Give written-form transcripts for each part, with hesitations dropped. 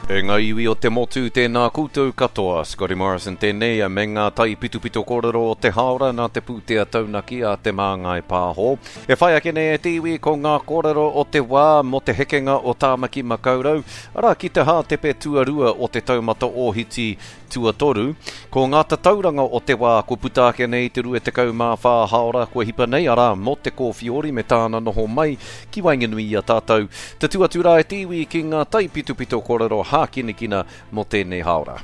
E ngā iwi o te motu, tēnā koutou katoa. Scotty Morrison tēnei me ngā taipitopito kōrero o te hāora nā te pūtea taunaki a Te Māngai Pāho. E whai ake nei e te iwi ko ngā kōrero o te wā mō te hekenga o Tāmaki Makaurau, arā ki te hātepe tuarua o te taumata ōhiti Tuatoru, ko ngā tatauranga o te wā kua puta ake nei i te 24 hāora kua hipa nei, arā, mō te Kōwhiori me tāna noho mai ki waenganui i a tātou. Tatū atu rā e te iwi ki ngā taipitopito kōrero hākinakina mō tēnei hāora.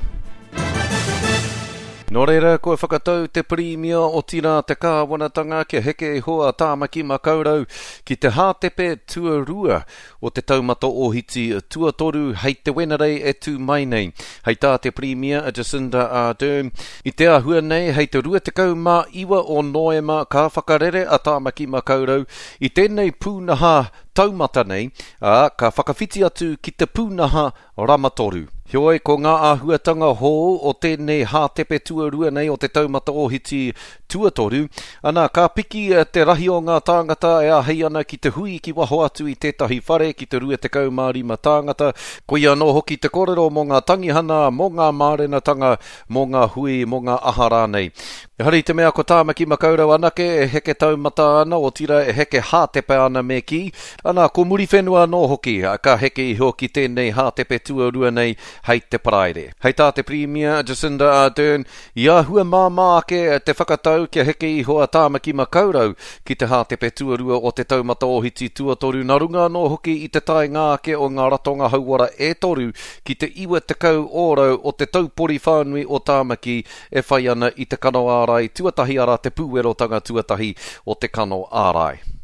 Nō reira, kua whakatau te Pirimia, otirā te Kāwanatanga kia heke iho a Tāmaki Makaurau ki te hātepe tuarua o te taumata ōhiti tuatoru hei te Wenerei e tū mai nei. Hei tā te Pirimia a Jacinda Ardern, i te āhua nei hei te 29 o Noema ka whakarere a Tāmaki Makaurau i tēnei pūnaha taumata nei, ā, ka whakawhiti atu ki te pūnaha rama toru. Heoi, ko ngā āhuatanga hou o tēnei hātepe tuarua nei o te taumata ōhiti tuatoru, ana, ka piki te rahi o ngā tāngata e āhei ana ki te hui ki waho atu i tētahi whare ki te 25 tāngata, koia anō hoki te kōrero mō ngā tangihana, mō ngā mārenatanga, mō ngā hui, mō ngā aha rānei. Ehara i te mea ko Tāmaki Makaurau anake e heke taumata ana, otirā e heke hātepe ana me kī, ana, ko Muriwhenua anō hoki ka heke iho ki tēnei hātepe tuarua nei hei te Paraire. Hei tā te Pirimia, Jacinda Ardern, i āhua māmā ake te whakatau kia heke iho a Tāmaki Makaurau ki te hātepe tuarua o te taumata ōhiti tuatoru nā runga anō hoki i te taenga ake o ngā ratonga hauora e toru ki te 90 ōrau o te taupori whānui o Tāmaki e whai ana i te kano ārai tuatahi arā te pūwerotanga tuatahi o te kano ārai.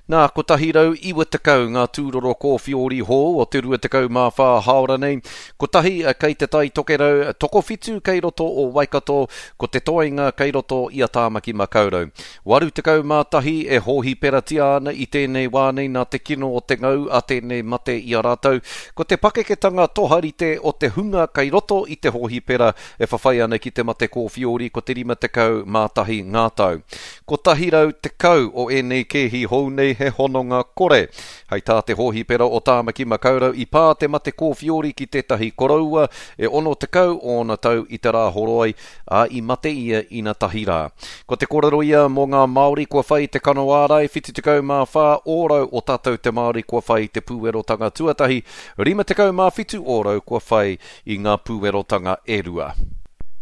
Nā, 190 ngā tūroro kōwhiori hou o te 24 hāora nei, kotahi kei Te Tai Tokerau, tokowhitu kei roto o Waikato, ko te toenga kei roto i a Tāmaki Makaurau. 81 e hōhiperatia ana i tēnei wā nei nā te kino o te ngau a tēnei mate i a rātou. Ko te pakeketanga toharite o te hunga kei roto i te hōhipera e whawhai ana ki te mate kōwhiori ko te 51 ngā tau. 110 o ēnei kēhi hou nei he hononga kore. Hei tā te hōhipera o Tāmaki Makaurau i pā te mate kōwhiori ki tētahi koroua e 60 ōna tau i te Rāhoroi, ā, i mate ia ina tahi rā. Ko te kōrero ia mō ngā Māori kua whai i te kano ārai, 74 ōrau o tātou te Māori kua whai i te pūwerotanga tuatahi, 57 ōrau kua whai i ngā pūwerotanga e rua.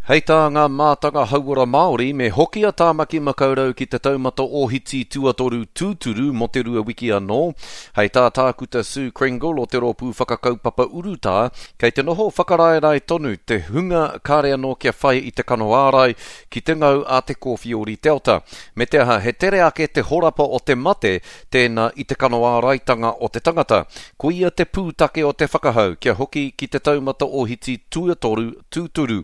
Hei tā ngā mātanga hauora Māori, me hoki a Tāmaki Makaurau ki te taumata ōhiti tuatoru tūturu mō te rua wiki anō. Hei tā Tākuta Sue Crengle o te Rōpū Whakakaupapa Urutā, Kei te noho whakaraerae tonu te hunga kāre anō kia whai i te kano ārai ki te ngau a te kōwhiori Delta. Me te aha, he tere ake te horapa o te mate tēnā i te kano āraitanga o te tangata. Koia te pūtake o te whakahau kia hoki ki te taumata ōhiti tuatoru tūturu.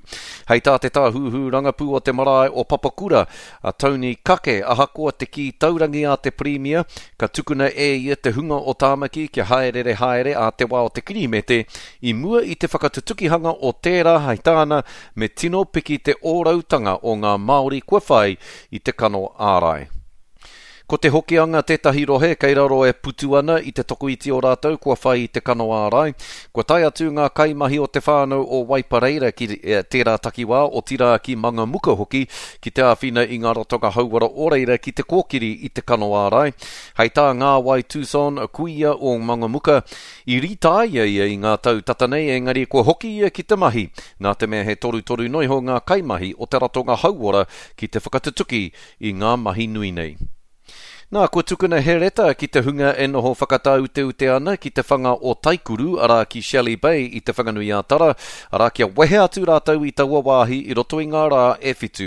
Hei tā te tāhuhu rangapū o te marae o Papakura, a Tony Kake, ahakoa te kī taurangi a te Pirimia, ka tukuna e ia te hunga o Tāmaki kia hāereere haere ā te wā o te Kirihimete, i mua i te whakatutukihanga o tērā, hei tāna, me tino piki te ōrautanga o ngā Māori kua whai i te kano ārai. Ko Te Hokianga tētahi rohe kei raro e putu ana i te tokoiti o rātou kua whai i te kano ārai. Kua tae atu ngā kaimahi o te whānau o Waipareira ki tērā takiwā, otirā ki Mangamuka hoki, ki te āwhina i ngā ratonga hauora o reira ki te kōkiri i te kano ārai. Hei tā Ngāwai Tucson, kuia o Mangamuka, i rītāia ia i ngā tau tata nei engari kua hoki ia ki te mahi, nā te mea he torutoru noiho ngā kaimahi o te ratonga hauora ki te whakatutuki i ngā mahi nui nei. Nā, kua tukuna he reta ki te hunga e noho whakatāuteute ana ki te whanga o Taikuru, arā ki Shelley Bay i Te Whanganui-ā-Tara, arā kia wehe atu rātou i taua wāhi i roto i ngā rā e whitu.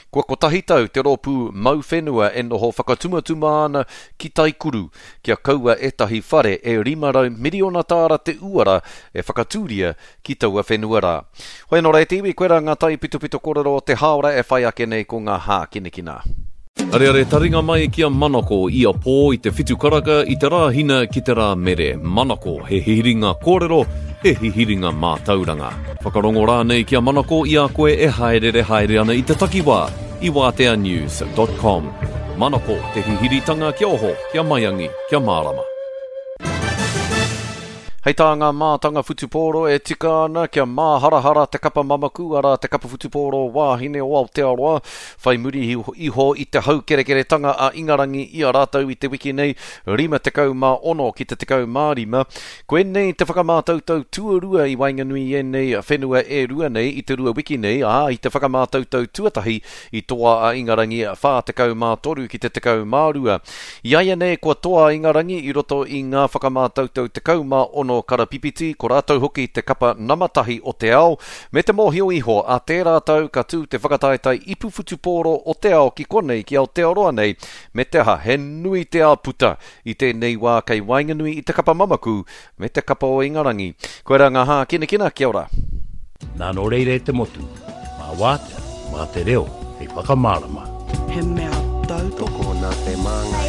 Kua kotahi tau te rōpū mau whenua e noho whakatumatuma ana ki Taikuru, kia kaua ētahi whare e 500 miriona tāra te uara e whakatūria ki taua whenua rā. Hoi anō rā e te iwi, koirā ngā taipitopito kōrero o te hāora e whai ake nei ko ngā hākinakina. Areare taringa mai ki a Manako ia pō i te whitu karaka i te Rāhina ki te Rāmere. Manako, he hihiringa kōrero, he hihiringa mātauranga. Whakarongo rānei ki a Manako i a koe e hāereere haere ana i te takiwā i wāteanews dot com. Manako, te hihiritanga kia oho, kia maiangi, kia mārama. Hei tā ngā mātanga whutupōro e tika ana kia māharahara te kapa mamaku, arā te kapa whutupōro wāhine o Aotearoa, whai muri iho i te haukerekeretanga a Ingarangi i a rātou i te wiki nei, 56 ki te 15. Koinei te whakamātautau tuarua i waenganui i ēnei whenua e rua nei i te rua wiki nei, ā, i te whakamātautau tuatahi i toa a Ingarangi 43 ki te 12. Iaianei kua toa a Ingarangi i roto i ngā whakamātautau 16 karapipiti, ko rātou hoki te kapa nama tahi o te ao, me te mōhio iho a tērā tau ka tū te whakataetae ipu whutupōro o te ao ki konei ki Aotearoa nei, me te aha he nui te āputa i tēnei wā kei waenganui i te kapa mamaku me te kapa o Ingarangi. Koirā ngā hākinakina, kia ora. Nā nō reira e te motu, mā wātea, mā te reo hei whakamārama. He mea tautoko. Tokona te māngai.